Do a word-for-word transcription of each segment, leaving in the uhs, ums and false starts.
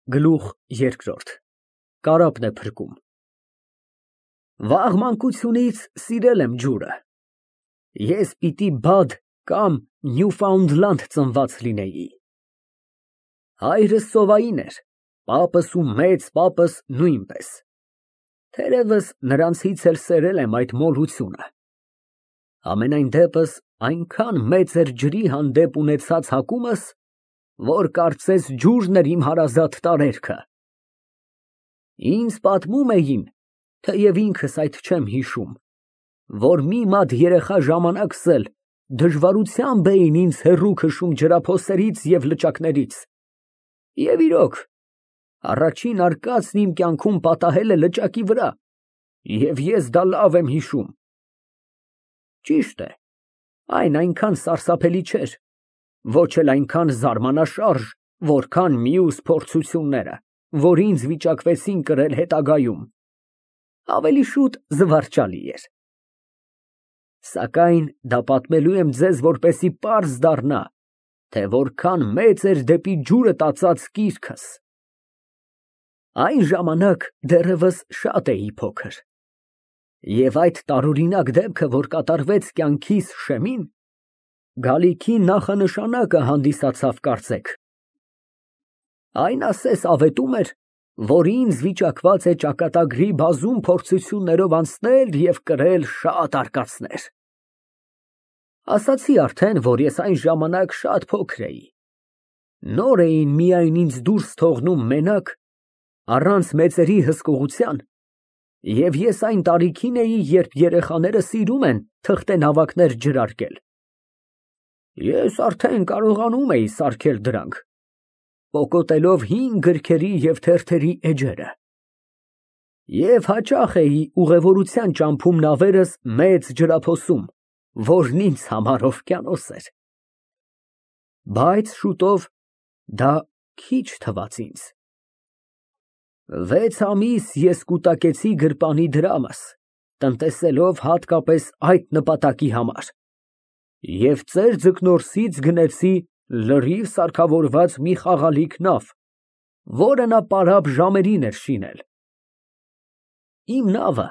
Գլուխ երկրորդ Կարապն է փրկում։ Վաղ մանկությունից սիրել եմ ջուրը, ես պիտի Բադ կամ Նյուֆաունդլանդ ծնված լինեի։ Հայրս սովային էր, պապս ու մեծ պապս նույնպես, թերևս նրանցից էլ սերել եմ այդ մոլությունը։ Համենայն դեպս այնքան մեծ էր ջրի հանդեպ ունեցած հակումս, որ կարծես ջուրն էր իմ հարազատ տարերքը։ Ինձ պատմում էին, թեև ինքս այդ չեմ հիշում, որ մի մատ երեխա ժամանակս էլ դժվարությամբ էին ինձ հեռու քշում ջրափոսերից և լճակներից, և իրոք, առաջին արկածն իմ կյանքում պատահել է լճակի վրա, և ես դա լավ եմ հիշում։ Ճիշտ է, այն այնքան սարսափելի չէր, ոչ էլ այնքան զարմանաշարժ, որքան մյուս փորձությունները, որ ինձ վիճակվեցին կրել հետագայում, ավելի շուտ զվարճալի էր։ Սակայն դա պատմելու եմ ձեզ, որպեսզի պարզ դառնա, թե որքան մեծ էր դեպի ջուրը տածած կիրքս։ Այն ժամանակ դեռևս շատ էի փոքր, և այդ տարօրինակ դեպքը, որ կատարվեց կյանքիս շեմին, գալիքի նախանշանակը հանդիսացավ կարծեք։ Այն ասես ավետում էր, որ ինձ վիճակված է ճակատագրի բազում փորձություններով անցնել և կրել շատ արկածներ։ Ասացի արդեն, որ ես այն ժամանակ շատ փոքր էի, նոր էին միայն ինձ դուրս թողնում մենակ, առանց մեծերի հսկողության, և ես այն տարիքին էի, երբ երեխաները սիրում են թղթենավակներ ջրարկել։ Ես արդեն կարողանում էի սարքել դրանք, պոկոտելով հին գրքերի և թերթերի էջերը, և հաճախ էի ուղևորության ճամփում նավերս մեծ ջրափոսում, որն ինձ համար օվկիանոս էր։ Բայց շուտով դա քիչ թվաց ինձ։ Վեց ամիս ես կուտակեցի գրպանի դրամս, տնտեսելով հատկապես այդ նպատակի համար, և ծեր ձկնորսից գնեցի լրիվ սարքավորված մի խաղալիք նավ, որը նա պարապ ժամերին էր շինել։ Իմ նավը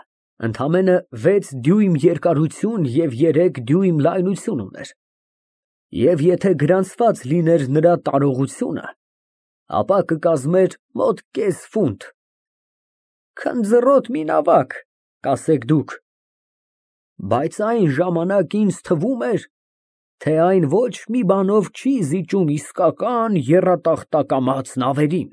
ընդամենը վեց դյույմ երկարություն և երեք դյույմ լայնություն ուներ, և եթե գրանցված լիներ նրա տարողությունը, ապա կկազմեր մոտ կես ֆունտ։ Քնձռոտ մի նավակ, կասեք դուք, բայց այն ժամանակ ինձ թվում էր, թե այն ոչ մի բանով չի զիջում իսկական եռատախտակամած նավերին։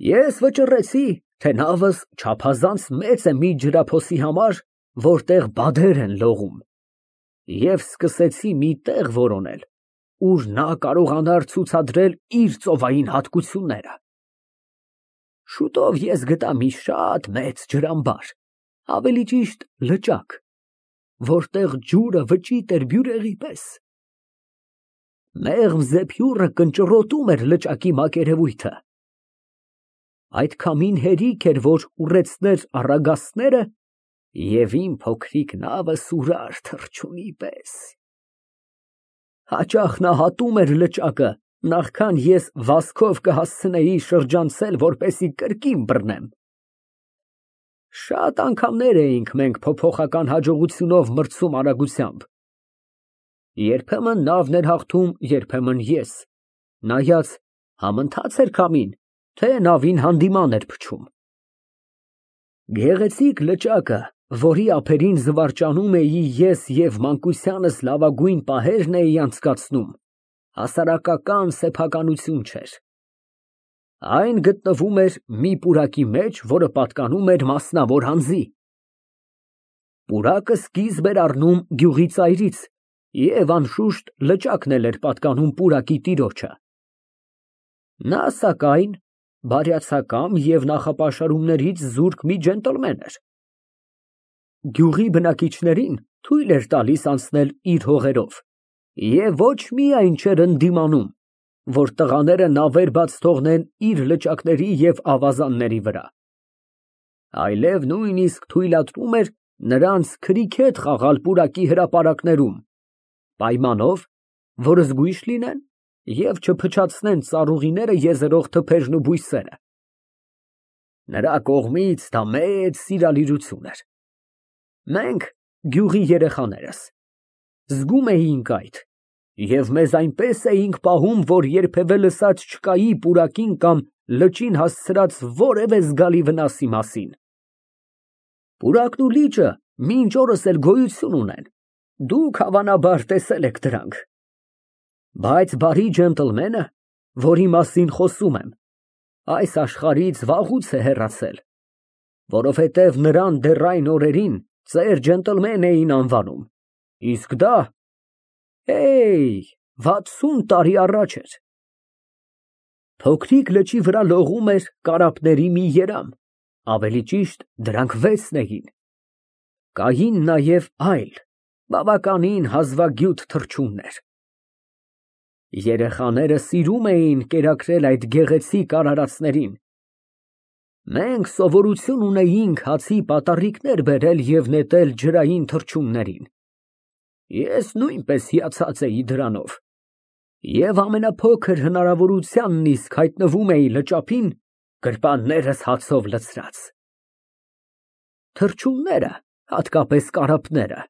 Ես վճռեցի, թե նավս չափազանց մեծ է մի ջրափոսի համար, որտեղ բադեր են լողում, և սկսեցի մի տեղ որոնել, ուր նա կարողանար ցուցադրել իր ծովային հատկությունները։ Շուտով ես գտա մի շատ մեծ ջրամբար, ավելի ճիշտ լճակ, որտեղ ջուրը վճիտ էր բյուրեղի պես։ Մեղմ զեփյուռը կնճռոտում էր լճակի մակերևույթը։ Այդ քամին հերիք էր, որ ուռեցներ առագաստները, և իմ փոքրիկ նավը սուրար թռչունի պես։ Հաճախ նա հատում էր լճակը, նախքան ես վազքով կհասցնեի շրջանցել, որպեսզի կրկին բռնեմ։ Շատ անգամներ էինք մենք փոփոխական հաջողությունով մրցում արագությամբ։ Երբեմն նավն էր հաղթում, երբեմն ես, նայած համընթաց էր քամին, թե նավին հանդիման էր փչում։ Գեղեցիկ լճակը, որի ափերին զվարճանում էի ես և մանկությանս լավագույն պահերն էի անցկացնում, հասարակական սեփականություն չէր։ Այն գտնվում էր մի պուրակի մեջ, որը պատկանում էր մասնավոր անձի։ Պուրակը սկիզբ էր առնում գյուղի ծայրից, և անշուշտ լճակն էլ էր պատկանում պուրակի տիրոջը։ Նա, սակայն, բարյացակամ և նախապաշարումներից զուրկ մի ջենտլմեն էր։ Գյուղի բնակիչներին թույլ էր տալիս անցնել իր հողերով և ոչ միայն չէր ընդդիմանում, որ տղաները նավեր բաց թողնեն իր լճակների և ավազանների վրա, այլև նույնիսկ թույլատրում էր նրանց քրիքեթ խաղալ պուրակի հրապարակներում, պայմանով, որ զգույշ լինեն և չփչացնեն ծառուղիները եզերող թփերն ու բույսերը։ Նրա կողմից դա մեծ սիրալիրություն էր։ Մենք, գյուղի երեխաներս, զգում էինք այդ և մեզ այնպես էինք պահում, որ երբևէ լսած չկայի պուրակին կամ լճին հասցրած որևէ զգալի վնասի մասին։ Պուրակն ու լիճը մինչ օրս էլ գոյություն ունեն, դուք հավանաբար տեսել եք դրանք։ Բայց բարի ջենտլմենը, որի մասին խոսում եմ, այս աշխարհից վաղուց է հեռացել, որովհետև նրան դեռ այն օրերին ծեր ջենտլմեն էին անվանում, իսկ դա, հեյ, վաթսուն տարի առաջ էր։ Փոքրիկ լճի վրա լողում էր կարապների մի երամ, ավելի ճիշտ դրանք վեցն էին, կային նաև այլ, բավականին հազվագյուտ թռչուններ։ Երեխաները սիրում էին կերակրել այդ գեղեցիկ արարածներին։ Մենք սովորություն ունեինք հացի պատառիկներ բերել և նետել ջրային թռչուններին։ Ես նույնպես հիացած էի դրանով և ամենափոքր հնարավորությանն իսկ հայտնվում էի լճափին, գրպաններս հացով լցրած։ Թռչունները, հատկապես կարապները,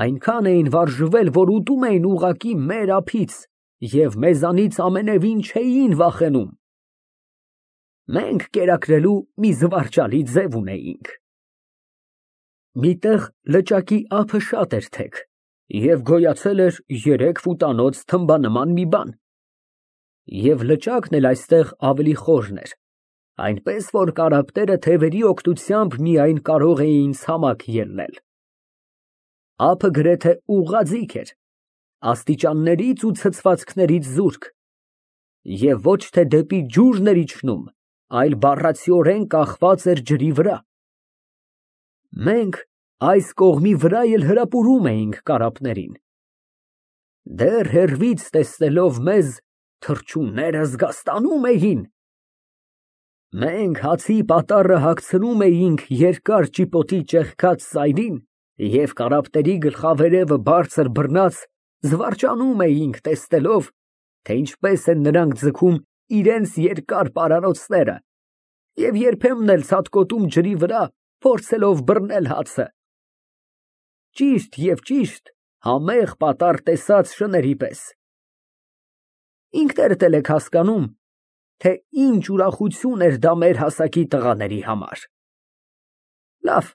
այնքան էին վարժվել, որ ուտում էին ուղղակի մեր ափից և մեզանից ամենևին չէին վախենում։ Մենք կերակրելու մի զվարճալի ձև ունեինք։ Մի տեղ լճակի ափը շատ էր թեք և գոյացել էր երեք ֆուտանոց թմբանման մի բան, և լճակն էլ այստեղ ավելի խորն էր, այնպես որ կարապները թևերի օգնությամբ միայն կարող էին ցամաք ելնել։ Ափը գրեթե ուղղաձիգ էր, աստիճաններից ու ցցվածքներից զուրկ, և ոչ թե դեպի ջուրն էր իջնում, այլ բառացիորեն կախված էր ջրի վրա։ Մենք այս կողմի վրա էլ հրապուրում էինք կարապներին։ Դեռ հեռվից տեսնելով մեզ, թռչունները զգաստանում էին։ Մենք հացի պատառը հագցնում էինք երկար ճիպոտի ճեղքած սայրին և կարապների գլխավերևը բարձր բռնած զվարճանում էինք, տեսնելով, թե ինչպես են նրանք ձգում իրենց երկար պարանոցները և երբեմն էլ ցատկոտում ջրի վրա, փորձելով բռնել հացը։ Ճիշտ և ճիշտ համեղ պատառ տեսած շների պես։ Ինքներդ էլ եք հասկանում, թե ինչ ուրախություն էր դա մեր հասակի տղաների համար։ Լավ,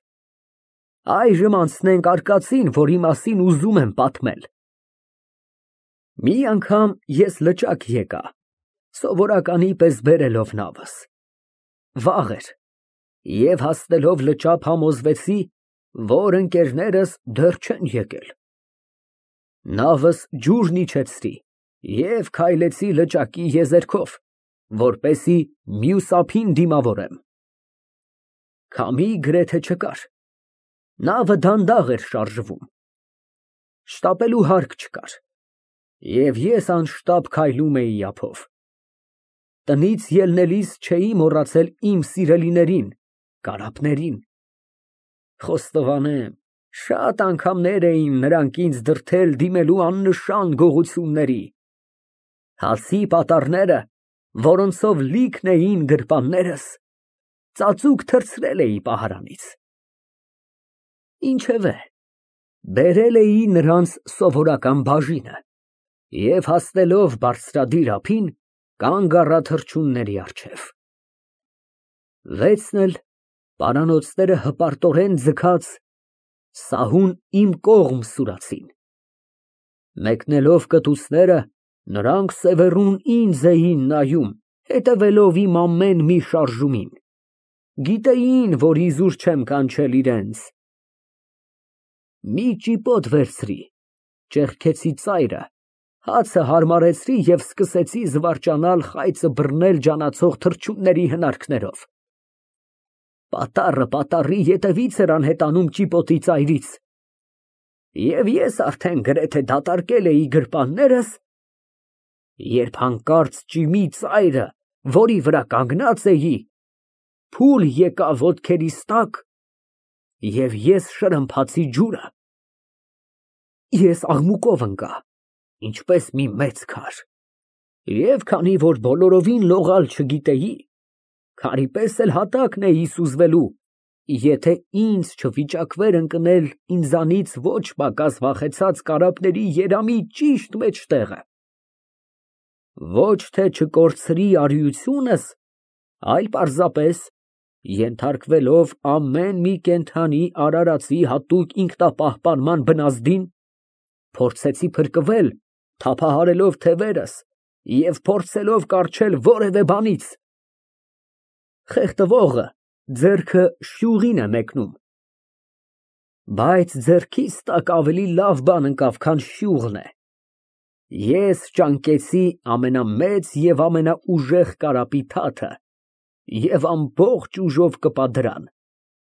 այժմ անցնենք արկածին, որի մասին ուզում եմ պատմել։ Մի անգամ ես լճակ եկա, սովորականի պես բերելով նավս։ Վաղ էր, և հասնելով լճափ համոզվեցի, որ ընկերներս դեռ չեն եկել։ Նավս ջուրն իջեցրի և քայլեցի լճակի եզերքով, որպեսզի մյուս ափին դիմավորեմ։ Քամի գրեթե չկար, նավը դանդաղ էր շարժվում։ Շտապելու հարկ չկար, և ես անշտապ քայլում էի ափով։ Տնից ելնելիս չէի մոռացել իմ սիրելիներին, կարապներին։ Խոստովանեմ, շատ անգամներ էին նրանք ինձ դրդել դիմելու աննշան գողությունների։ Հացի պատառները, որոնցով լիքն էին գրպաններս, ծածուկ թռցրել էի պահարանից։ Ինչևէ, բերել էի նրանց սովորական բաժինը և հասնելով բարձրադիր ափին, կանգ առա թռչունների առջև։ Վեցն էլ, պարանոցները հպարտորեն ձգած, սահուն իմ կողմ սուրացին։ Մեկնելով կտուցները, նրանք սևեռուն ինձ էին նայում, հետևելով իմ ամեն մի շարժումին, գիտեին, որ իզուր չեմ կանչել իրենց։ Մի ճիպոտ վերցրի, ճեղքեցի ծայրը, հացը հարմարեցրի և սկսեցի զվարճանալ խայծը բռնել ջանացող թռչունների հնարքներով։ Պատառը պատառի ետևից էր անհետանում ճիպոտի ծայրից, և ես արդեն գրեթե դատարկել էի գրպաններս, երբ հանկարծ ճիմի ծայրը, որի վրա կանգնած էի, փուլ եկավ ոտքերիս տակ, և ես շրմփացի ջուրը։ Ես աղմուկով ընկա, ինչպես մի մեծ քար։ Եվ քանի որ բոլորովին լողալ չգիտեի, քարի պես էլ հատակն էի սուզվելու, եթե ինձ չվիճակվեր ընկնել ինձանից ոչ պակաս վախեցած կարապների երամի ճիշտ մեջտեղը։ Ոչ թե չկորցրի արիությունս, այլ պարզապես ենթարկվելով ամեն մի կենդանի արարածի հատուկ ինքնապահպանման բնազդին, փորձեցի փրկվել, թափահարելով թևերս և փորձելով կառչել որևէ բանից։ Խեղդվողը ձեռքը շյուղին է մեկնում, բայց ձեռքիս տակ ավելի լավ բան ընկավ, քան շյուղն է։ Ես ճանկեցի ամենամեծ և ամենաուժեղ կարապի թաթը և ամբողջ ուժով կպա դրան,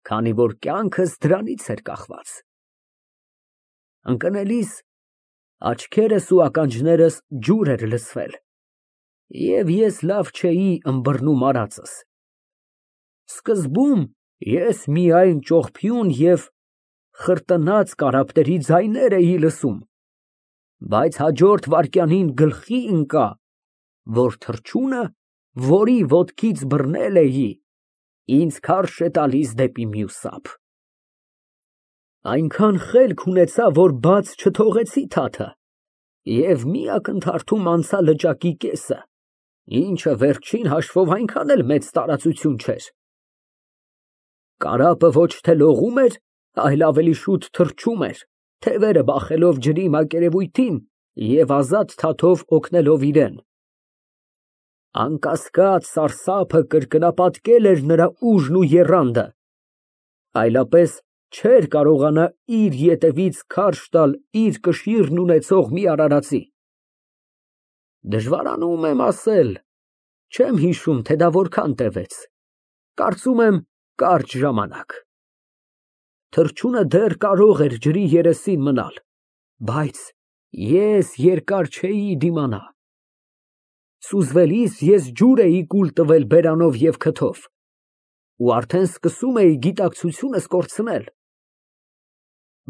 քանի որ կյանքս դրանից էր կախված։ Ընկնելիս աչքերս ու ականջներս ջուր էր լցվել, և ես լավ չէի ըմբռնում արածս։ Սկզբում ես միայն ճողփյուն և խրտնած կարապների ձայներ էի լսում, բայց հաջորդ վայրկյանին գլխի ընկա, որ թռչունը, որի ոտքից բռնել էի, ինձ քարշ է տալիս դեպի մյուս ափ։ Այնքան խելք ունեցա, որ բաց չթողեցի թաթը և մի ակնթարթում անցա լճակի կեսը, ինչը վերջին հաշվով այնքան էլ մեծ տարածություն չէր։ Կարապը ոչ թե լողում էր, այլ ավելի շուտ թռչում էր, թևերը բախելով ջրի մակերևույթին և ազատ թաթով օգնելով իրան։ Անկասկած, սարսափը կրկնապատկել էր նրա ուժն ու եռանդը, այլապես չէր կարողանա իր ետևից քարշ տալ իր կշիռն ունեցող մի արարածի։ Դժվարանում եմ ասել, չեմ հիշում, թե դա որքան տևեց, կարծում եմ կարճ ժամանակ։ Թռչունը դեռ կարող էր ջրի երեսին մնալ, բայց ես երկար չէի դիմանա։ Սուզվելիս ես ջուր էի կուլ տվել բերանով և քթով ու արդեն սկսում էի գիտակցությունս կորցնել։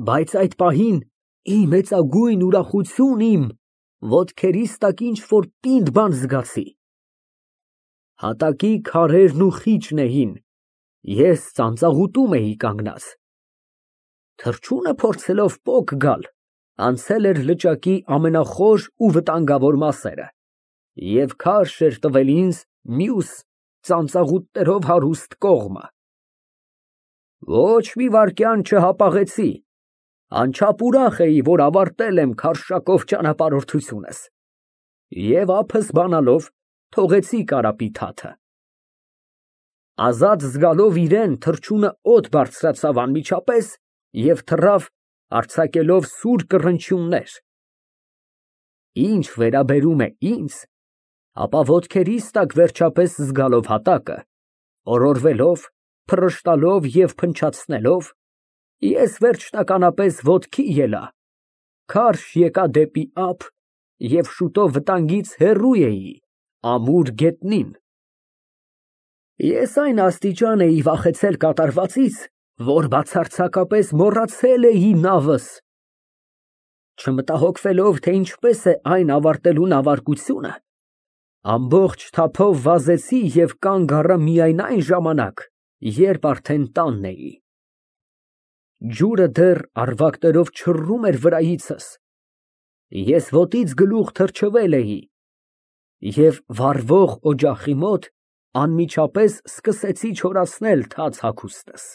Բայց այդ պահին ի մեծագույն ուրախություն իմ, ոտքերիս տակ ինչ֊որ պինդ բան զգացի։ Հատակի քարերն ու խիճն էին, ես ծանծաղուտում էի կանգնած։ Թռչունը փորձելով պոկ գալ, անցել էր լճակի ամենախոր ու վտանգավոր մասերը և քարշ էր տվել ինձ մյուս ծանծաղուտներով հարուստ կողմը։ Ոչ մի վայրկյան չհապաղեցի, անչափ ուրախ էի, որ ավարտել եմ քարշակով ճանապարհորդությունս և ափս բանալով թողեցի կարապի թաթը։ Ազատ զգալով իրան, թռչունը օդ բարձրացավ անմիջապես և թռավ, արձակելով սուր կռնչյուններ։ Ինչ վերաբերում է ինձ, ապա ոտքերիս տակ վերջապես զգալով հատակը, օրորվելով, փռշտալով և փնչացնելով, ես վերջնականապես ոտքի ելա, քարշ եկա դեպի ափ և շուտով վտանգից հեռու էի, ամուր գետնին։ Ես այն աստիճան էի վախեցել կատարվածից, որ բացարձակապես մոռացել էի նավս։ Չմտահոգվելով, թե ինչպես է այն ավարտելու նավարկությունը, ամբողջ թափով վազեցի և կանգ առա միայն այն ժամանակ, երբ արդեն տանն էի։ Ջուրը դեռ առվակներով չռում էր վրայիցս, ես ոտից գլուխ թռչվել էի և վառվող օջախի մոտ անմիջապես սկսեցի չորացնել թաց հագուստս։